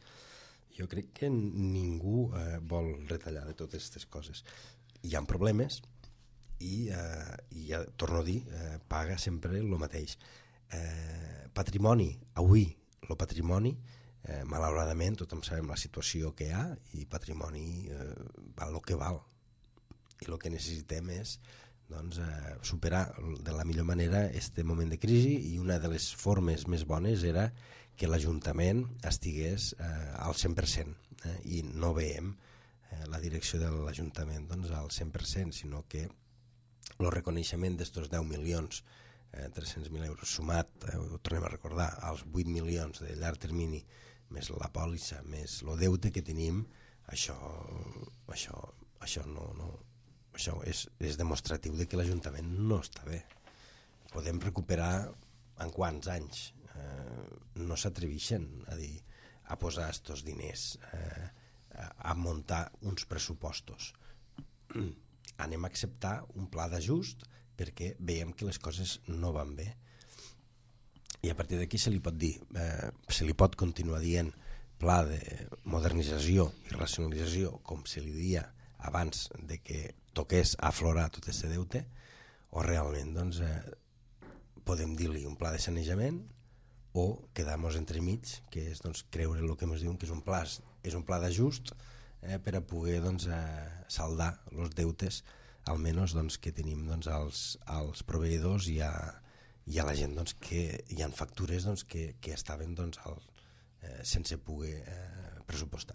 Jo crec que ningú vol retallar de totes aquestes coses. Hi ha problemes i ja torno a dir, paga sempre el mateix. Patrimoni, avui el patrimoni, malauradament tothom sabem la situació que hi ha i patrimoni val el que val, i el que necessitem és doncs, superar de la millor manera aquest moment de crisi, i una de les formes més bones era que l'Ajuntament estigués al 100%, i no veiem la direcció de l'Ajuntament doncs, al 100%, sinó que el reconeixement d'estos 10 milions 300.000 euros sumat, ho tornem a recordar, als 8 milions de llarg termini més la pòlissa, més el deute que tenim, això és demostratiu de que l'Ajuntament no està bé. Podem recuperar en quants anys? No s'atreveixen a posar estos diners, a muntar uns pressupostos. Anem a acceptar un pla d'ajust perquè veiem que les coses no van bé. I a partir d'aquí se li pot dir, se li pot continuar dient pla de modernització i racionalització, com se li dia abans de que toqués aflorar tot aquest deute, o realment doncs, podem dir-li un pla de sanejament o quedar-nos entremig, que és doncs, creure el que ens diuen que és un pla d'ajust per a poder doncs, saldar els deutes almenys doncs, que tenim doncs, als proveïdors i a la gent doncs, que hi ha factures doncs, que estaven doncs, sense poder pressupostar.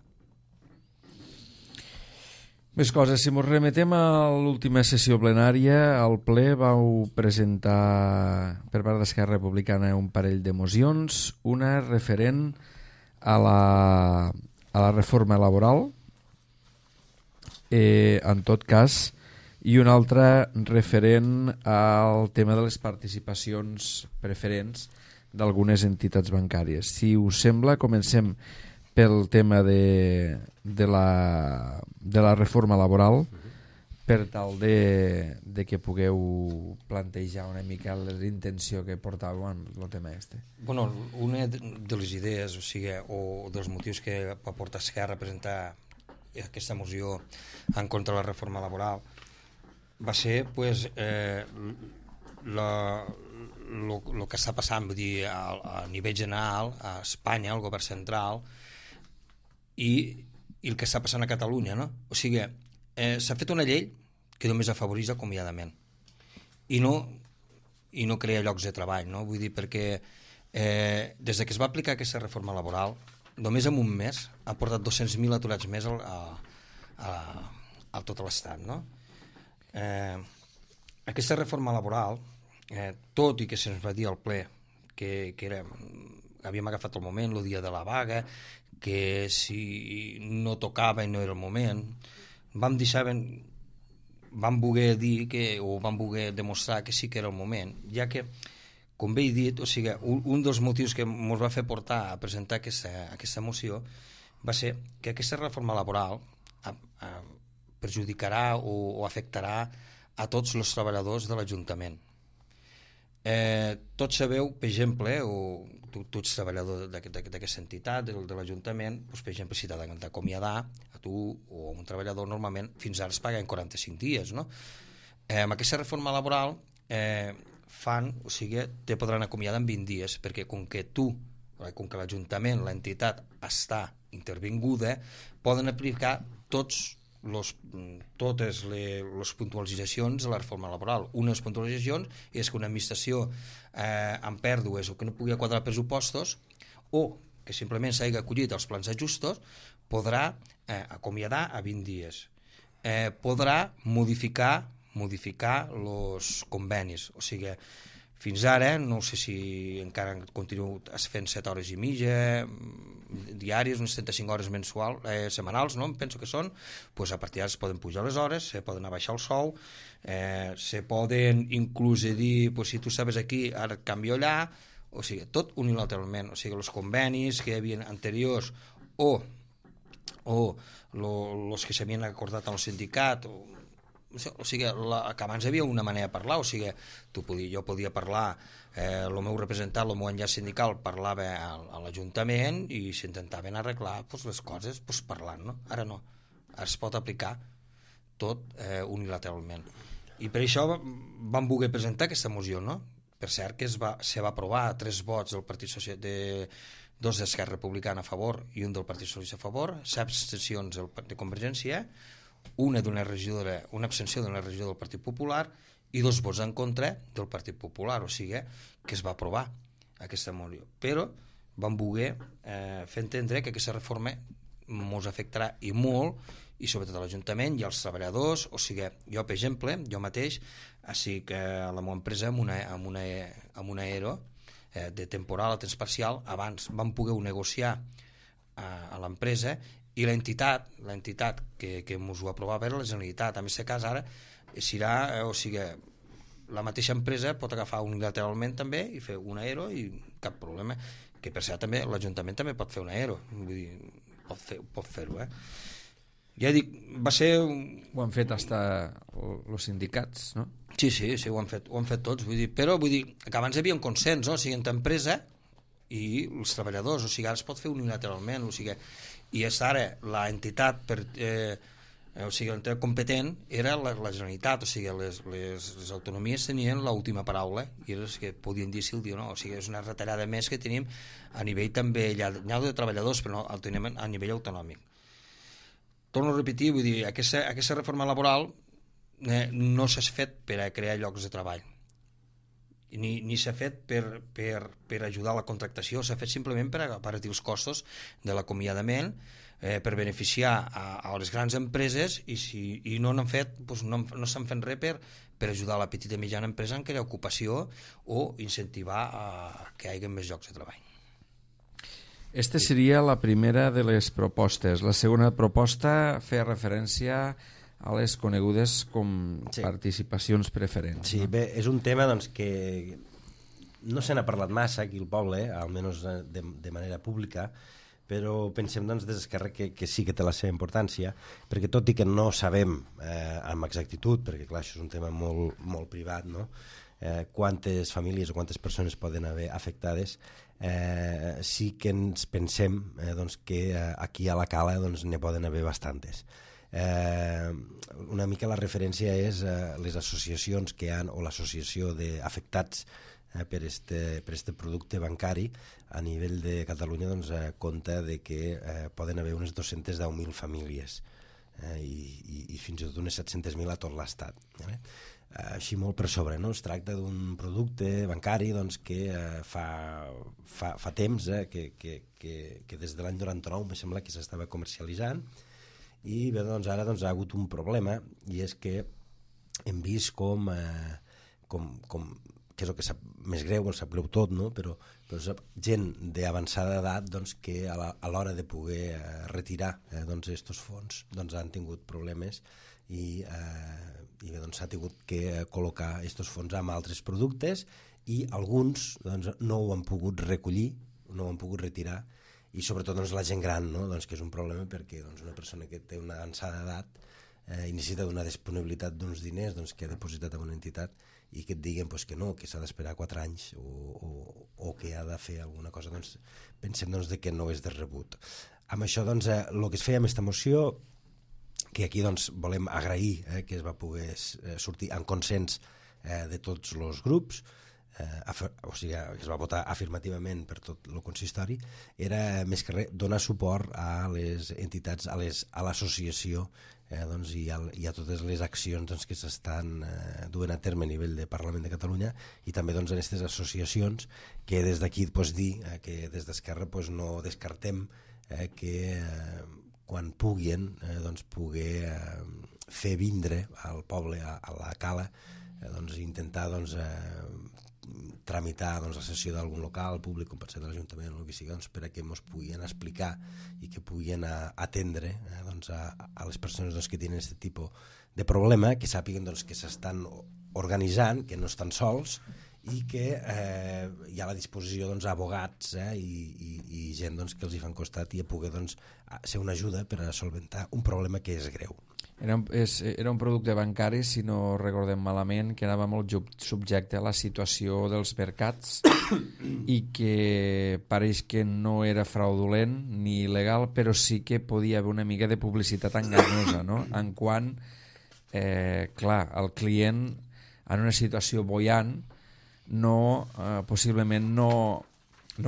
Més coses, si ens remetem a l'última sessió plenària, al ple vau presentar per part d'Esquerra Republicana un parell de mocions, una referent a la reforma laboral, en tot cas, i una altra referent al tema de les participacions preferents d'algunes entitats bancàries. Si us sembla, comencem pel tema de la reforma laboral, per tal de que pugueu plantejar una mica l'intenció que portàveu en el tema este. Bueno, una de les idees, o dels motius que va portar Esquerra a presentar aquesta moció en contra de la reforma laboral va ser pues, el que està passant, vull dir, a nivell general a Espanya, al govern central, i el que està passant a Catalunya, no? O sigui, s'ha fet una llei que només afavoreix l'acomiadament i no crea llocs de treball, no? Vull dir, perquè des que es va aplicar aquesta reforma laboral, només en un mes ha portat 200.000 aturats més a tot l'estat, no? Aquesta reforma laboral, tot i que se'ns va dir al ple que havíem agafat el moment, el dia de la vaga, que si no tocava i no era el moment, vam voler dir o vam voler demostrar que sí que era el moment, ja que, com bé he dit, o sigui, un dels motius que ens va fer portar a presentar aquesta moció va ser que aquesta reforma laboral perjudicarà o afectarà a tots els treballadors de l'Ajuntament. Tots sabeu, per exemple, o tu ets treballador d'aquesta entitat, de l'Ajuntament, doncs, per exemple, si t'ha d'acomiadar a tu o a un treballador, normalment fins ara es paguen 45 dies, no? Amb aquesta reforma laboral te podran acomiadar en 20 dies, perquè com que l'Ajuntament, l'entitat, està intervinguda, poden aplicar totes les puntualitzacions de la reforma laboral. Una de les puntualitzacions és que una administració amb pèrdues o que no pugui quadrar pressupostos o que simplement s'hagi acollit als plans d'ajustos podrà acomiadar a 20 dies. Podrà modificar els convenis. O sigui, fins ara, no sé si encara continuo fent 7 hores i mitja diàries, unes 35 hores setmanals, no? Em penso que són, doncs a partir d'ara es poden pujar les hores, se poden abaixar el sou, se poden inclús dir, doncs, si tu estaves aquí, ara et canvio allà, o sigui, tot unilateralment, o sigui, els convenis que hi havia anteriors o els que s'havien acordat amb el sindicat o sigui, que abans hi havia una manera de parlar, o sigui, jo podia parlar, el meu representant, el meu enllaç sindical parlava a l'Ajuntament i s'intentaven arreglar les coses parlant, no? Ara no, ara es pot aplicar tot unilateralment. I per això vam voler presentar aquesta moció, no? Per cert que se va aprovar 3 vots del Partit Socialista, 2 d'Esquerra Republicana a favor i un del Partit Socialista a favor, 7 abstencions de Convergència, una abstenció d'una regidora del Partit Popular i 2 vots en contra del Partit Popular, o sigui que es va aprovar aquesta moció. Però vam voler fer entendre que aquesta reforma ens afectarà i molt, i sobretot a l'Ajuntament i als treballadors. O sigui, jo, per exemple, jo mateix, així que a la meva empresa amb una ERO de temporal a temps parcial, abans vam poder negociar a l'empresa i l'entitat que ens ho aprovava era la Generalitat. En aquest cas ara serà, o sigui, la mateixa empresa pot agafar unilateralment també i fer una ERO i cap problema, que per cert també l'Ajuntament també pot fer una ERO, vull dir, pot fer-ho, ja dic, va ser... Ho han fet hasta els sindicats, no? Sí, ho han fet tots, però vull dir que abans hi havia un consens, no? O sigui, entre empresa i els treballadors, o sigui, ara es pot fer unilateralment, o sigui, i ara l'entitat o sigui, l'entitat competent era la Generalitat, o sigui, les autonomies tenien l'última paraula i era els que podien dir si el dia o no, o sigui, és una retallada més que tenim a nivell també, ja de treballadors, però no, el tenim a nivell autonòmic. Torno a repetir, vull dir, aquesta reforma laboral no s'ha fet per a crear llocs de treball, ni s'ha fet per ajudar a la contractació, s'ha fet simplement per abaratir els costos de l'acomiadament, per beneficiar a les grans empreses i no n'han fet, no estan fent res per ajudar a la petita i mitjana empresa en crear ocupació o incentivar que hi hagi més llocs de treball. Esta seria la primera de les propostes. La segona proposta feia referència a les conegudes com participacions preferents. Sí, bé, és un tema doncs, que no se n'ha parlat massa aquí al poble, almenys de manera pública, però pensem doncs, des d'Esquerra que sí que té la seva importància, perquè tot i que no sabem amb exactitud, perquè clar, això és un tema molt, molt privat, no? Quantes famílies o quantes persones poden haver afectades, sí que ens pensem doncs, que aquí a la Cala doncs, ne poden haver bastantes. Una mica la referència és les associacions que han, o l'associació d'afectats per este producte bancari a nivell de Catalunya doncs, compta de que poden haver unes 210.000 famílies i fins i tot unes 700.000 a tot l'estat. Així molt per sobre, no? Es tracta d'un producte bancari doncs, que fa temps que des de l'any 99 em sembla que s'estava comercialitzant i bé, doncs, ara doncs, ha hagut un problema i és que hem vist com que és el que sap més greu, sap greu tot, no? però gent d'avançada edat doncs, que a l'hora de poder retirar doncs, estos fons doncs, han tingut problemes i bé, doncs, s'ha tingut que col·locar estos fons amb altres productes i alguns doncs, no ho han pogut recollir, no ho han pogut retirar i sobretot doncs, la gent gran, no? Doncs, que és un problema perquè doncs, una persona que té una avançada edat i necessita d'una disponibilitat d'uns diners doncs, que ha depositat en una entitat i que et diguen pues, que no, que s'ha d'esperar 4 anys o que ha de fer alguna cosa, doncs, pensem doncs, que no és de rebut. Amb això, doncs, el que es feia amb aquesta moció, que aquí doncs, volem agrair que es va poder sortir en consens de tots els grups, o sigui, que es va votar afirmativament per tot el consistori, era més que res donar suport a les entitats, a l'associació doncs, i a totes les accions doncs, que s'estan duent a terme a nivell de Parlament de Catalunya i també doncs, en aquestes associacions que des d'aquí pues, dir que des d'Esquerra pues, no descartem que quan puguin doncs, poder fer vindre al poble, a la Cala, doncs, intentar doncs, tramitar doncs, la sessió d'algun local públic, com pot ser de l'Ajuntament o el que sigui, doncs, per a que ens puguin explicar i que puguin atendre doncs, a les persones doncs, que tenen aquest tipus de problema, que sàpiguen doncs, que s'estan organitzant, que no estan sols i que hi ha a la disposició doncs, abogats i gent doncs, que els hi fan costat i a poder doncs, ser una ajuda per a solventar un problema que és greu. Era un producte bancari, si no recordem malament, que anava molt subjecte a la situació dels mercats i que pareix que no era fraudulent ni il·legal, però sí que podia haver una mica de publicitat enganyosa, no? En quant, clar, el client en una situació boiant possiblement no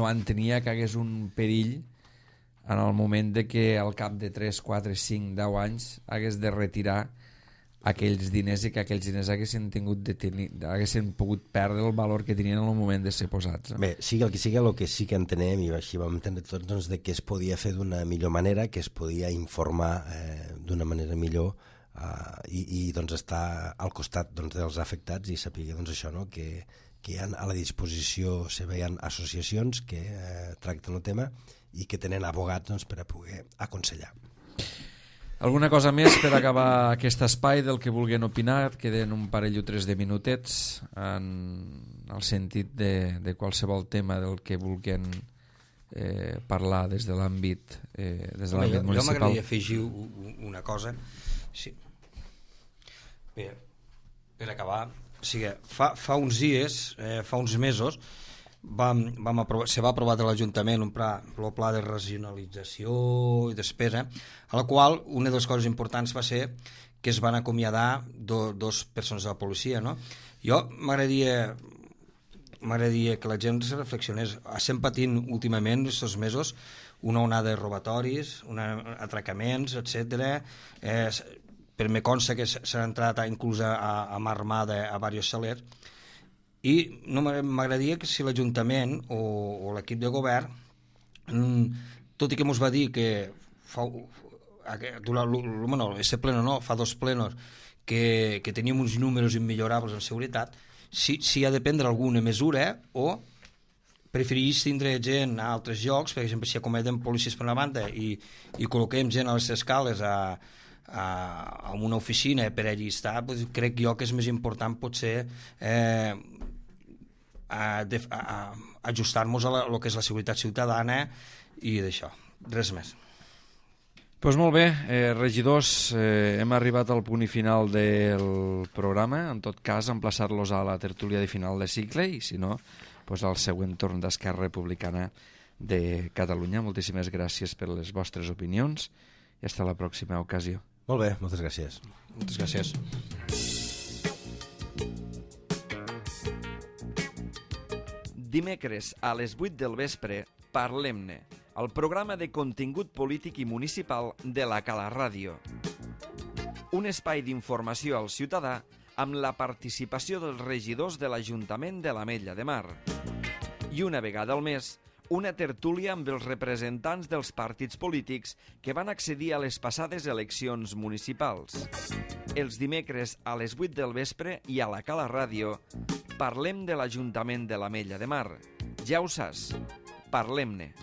entenia que hagués un perill en el moment de que al cap de 3, 4, 5, 10 anys hagués de retirar aquells diners i que aquells diners haguessin pogut perdre el valor que tenien en el moment de ser posats. Bé, sigui el que sí que entenem, i així vam entendre tots, doncs, de que es podia fer d'una millor manera, que es podia informar d'una manera millor i doncs, estar al costat doncs, dels afectats i saber doncs, això, no? que hi ha a la disposició hi ha associacions que tracten el tema i que tenen abogats doncs, per a poder aconsellar. Alguna cosa més per acabar aquest espai del que vulguin opinar? Queden un parell o tres de minutets en el sentit de qualsevol tema del que vulguin parlar des de l'àmbit municipal. Jo m'agradaria afegir una cosa. Sí. Bé, per acabar, o sigui, fa uns dies, fa uns mesos, se va aprovar de l'Ajuntament el pla de regionalització i despesa, a la qual una de les coses importants va ser que es van acomiadar dos persones de la policia, no? Jo m'agradaria que la gent reflexionés. Estem patint últimament, aquests mesos, una onada de robatoris, atracaments, etc. Per me consta que s'ha entrat inclús a mà armada a diversos salers, i no m'agradaria que si l'Ajuntament o l'equip de govern, tot i que ens va dir que fa dos plenos que teníem uns números immillorables en seguretat, si ha de prendre alguna mesura o prefereix tindre gent a altres llocs, per exemple, si acometen policies per una banda i col·loquem gent a les escales a una oficina per allí estar, doncs crec jo que és més important potser ajustar-nos a lo que és la seguretat ciutadana i d'això, res més. Doncs molt bé, regidors, hem arribat al punt i final del programa. En tot cas, emplaçar-los a la tertúlia de final de cicle i, si no, doncs al següent torn d'Esquerra Republicana de Catalunya. Moltíssimes gràcies per les vostres opinions i fins a la pròxima ocasió. Molt bé, moltes gràcies. Moltes gràcies. Dimecres a les 8 del vespre, Parlem-ne, el programa de contingut polític i municipal de la Cala Ràdio. Un espai d'informació al ciutadà amb la participació dels regidors de l'Ajuntament de l'Ametlla de Mar. I una vegada al mes, una tertúlia amb els representants dels partits polítics que van accedir a les passades eleccions municipals. Els dimecres a les 8 del vespre i a la Cala Ràdio parlem de l'Ajuntament de l'Ametlla de Mar. Ja ho saps, parlem-ne.